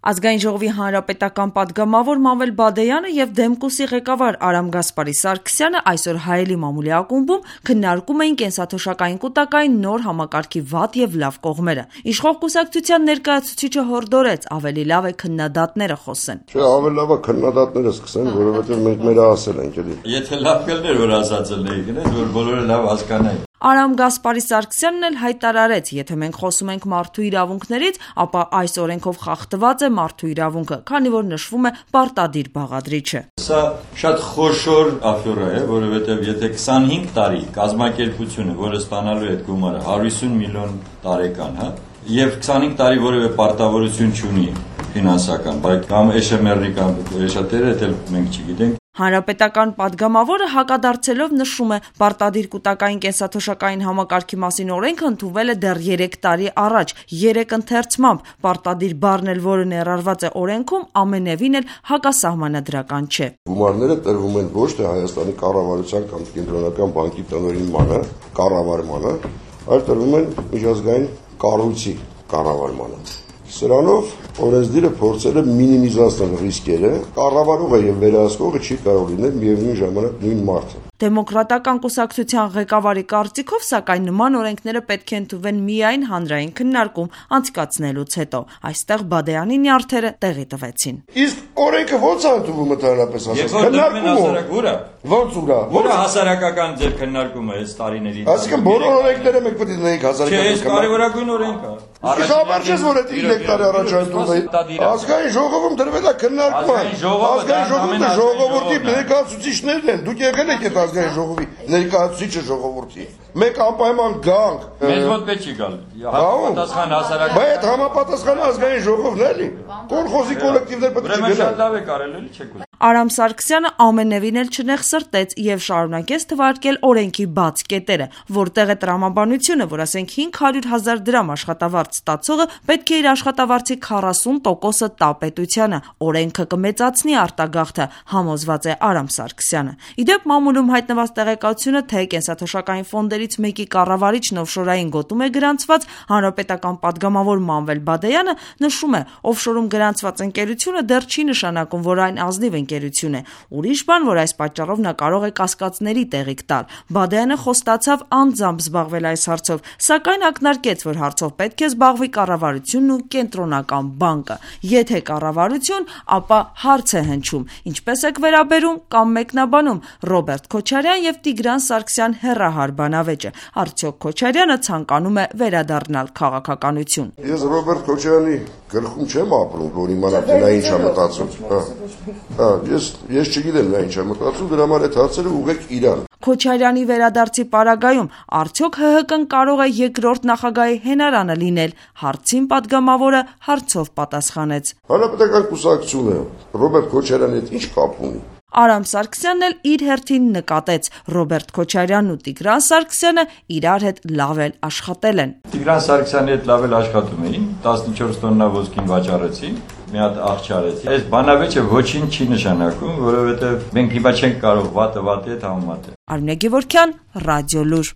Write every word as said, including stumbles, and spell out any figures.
Ազգային ժողովի հանրապետական պատգամավոր Մանվել Բադեյանը և Դեմկուսի ղեկավար Արամ Գասպարի Սարգսյանը այսօր Հայելի մամուլի ակումբում քննարկում էին կենսաթոշակային կուտակային նոր համակարգի վատ և լավ կողմերը։ Իշխող կուսակցության ներկայացուցիչը հորդորեց ավելի լավ է քննադատները խոսեն։ Չէ, ավելի լավ է քննադատները սկսեն, որովհետև մենք մեր ասել ենք էլի։ Եթե լավ կլներ, որ ասածը լեի գնաց, որ բոլորը լավ հասկանային։ Արամ Գասպարի Սարգսյանն էլ հայտարարեց, եթե մենք խոսում ենք մարդու իրավունքներից, ապա այս օրենքով խախտված է մարդու իրավունքը, քանի որ նշվում է պարտադիր բաղադրիչը։ Սա շատ խոշոր աֆյորա է, որովհետև եթե քսանհինգ տարի կազմակերպությունը, որը ստանալու է այդ գումարը հարյուր ութ միլիոն տարեկան, հա, եւ քսանհինգ տարի որևէ պարտավորություն չունի ֆինանսական, բայց կամ Էշ Էմ Էրի կամ Էշատերը, դա մենք չգիտենք։ Հանրապետական պատգամավորը հակադարձելով նշում է, պարտադիր կուտակային կենսաթոշակային համակարգի մասին օրենքը ընդունվել է դեռ երեք տարի առաջ, երեք ընթերցմամբ, պարտադիր բառն էլ, որը ներառված է օրենքում, ամենևին էլ հակասահմանադրական չէ։ Գումարները տրվում են ոչ թե Հայաստանի կառավարության կամ կենտրոնական բանկի տնօրինմանը, կառավարմանը, այլ տրվում են միջազգային կառույցի կառավարմանը։ Սրանով օրենսդիրը փորձել է մինիմիզացնել ռիսկերը, կառավարողը եւ վերահսկողը չի կարող լինել միևնույն ժամանակ նույն մարդը։ Դեմոկրատական կուսակցության ղեկավարի կարծիքով, սակայն նման օրենքները պետք է ընդունվեն միայն հանրային քննարկում անցկացնելուց հետո։ Այստեղ Բադեյանի նյարդերը տեղի տվեցին։ Իսկ օրենքը ո՞նց է ընդունվում ընդհանրապես ասած։ Քննարկումը ո՞նց ուրա։ Որը հասարակական ձեր քննարկումը է տարիների։ Այսինքն բոլոր օրենքները մենք պետք է դնենք հասարակական։ Չէ, կարևորագույն օրենք է։ Առաջին որ այդ երեք տարի առաջ ընդունվել։ Ազգային ժողովում դրվել է քննարկման։ Ազգային ժողովը ժողովրդի ներկայացուցիչներն են։ Դուք եղել եք այդ ազգային ժողովի ներկայացուցիչը ժողովրդի։ Մենք անպայման գանք։ Մեզ մոտ պետք չի գալ։ Համապատասխան հասարակական։ Բայց այդ համապատասխան ազգային ժողովն էլի։ Կոլխոզի կոլեկտիվներ պետք է գնան։ Շատ լավ է կարել էլի չեք։ Արամ Սարգսյանը ամենևին էլ չնեղսրտեց եւ շարունակեց թվարկել օրենքի բաց կետերը, որտեղ է տրամաբանությունը, որ ասենք հինգ հարյուր հազար դրամ աշխատավարձ ստացողը պետք է իր աշխատավարձի քառասուն տոկոսը տա պետությանը, օրենքը կմեծացնի արտագաղթը, համոզված է Արամ Սարգսյանը։ Իդեպ մամուլում հայտնված տեղեկատվությունը, թե կենսաթոշակային ֆոնդերից մեկի կառավարիչն օֆշորային գոտում է գրանցված, հանրապետական պատգամավոր Մանվել Բադեյանը նշում է, օֆշորում գրանցված ընկերությունը դեռ չի նշանակում, որ այն ազնիվ ընկերություն է։ Ուրիշ բան, որ այս պատճառով նա կարող է կասկածների տեղիք տալ։ Բադեյանը խոստացավ անձամբ զբաղվել այս հարցով, սակայն ակնարկեց, որ հարցով պետք է զբաղվի կառավարությունն ու կենտրոնական բանկը։ Եթե կառավարություն, ապա հարց է հնչում, ինչպես եք վերաբերում կամ մեկնաբանում Ռոբերտ Քոչարյան եւ Տիգրան Սարգսյան հեռահար բանավեճը։ Արդյոք Քոչարյանը ցանկանում է վերադառնալ քաղաքականություն։ Ես Ռոբերտ Քոչարյանի գլխում չեմ ապրում, որ իմանամ, թե նա ինչ է մտածում։ Հա, ես ես չգիտեմ նա ինչ է մտածում, դրա համար այդ հարցերը ուղղեք իրան։ Քոչարյանի վերադարձի պարագայում արդյոք Հ Հ Կն կարող է երկրորդ նախագահի հենարանը լինել, հարցին պատգամավորը հարցով պատասխանեց։ Հանրապետական կուսակցությունը Ռոբերտ Քոչարյանի հետ ինչ կապ ունի։ Արամ Սարգսյանն էլ իր հերթին նկատեց, Ռոբերտ Քոչարյանն ու Տիգրան Սարգսյանը իրար հետ լավ էլ աշխատել են։ Տիգրան Սարգսյանի հետ լավ էլ աշխատում էին, տասնչորս տոննա ոսկին վաճառեցին, մի հատ աղջարեցին։ Այս բանավեճը ոչինչ չի նշանակում, որովհետև մենք հիմա չենք կարող վատը վատի հետ համեմատել։ Արմինե Գևորգյան, Ռադիոլուր։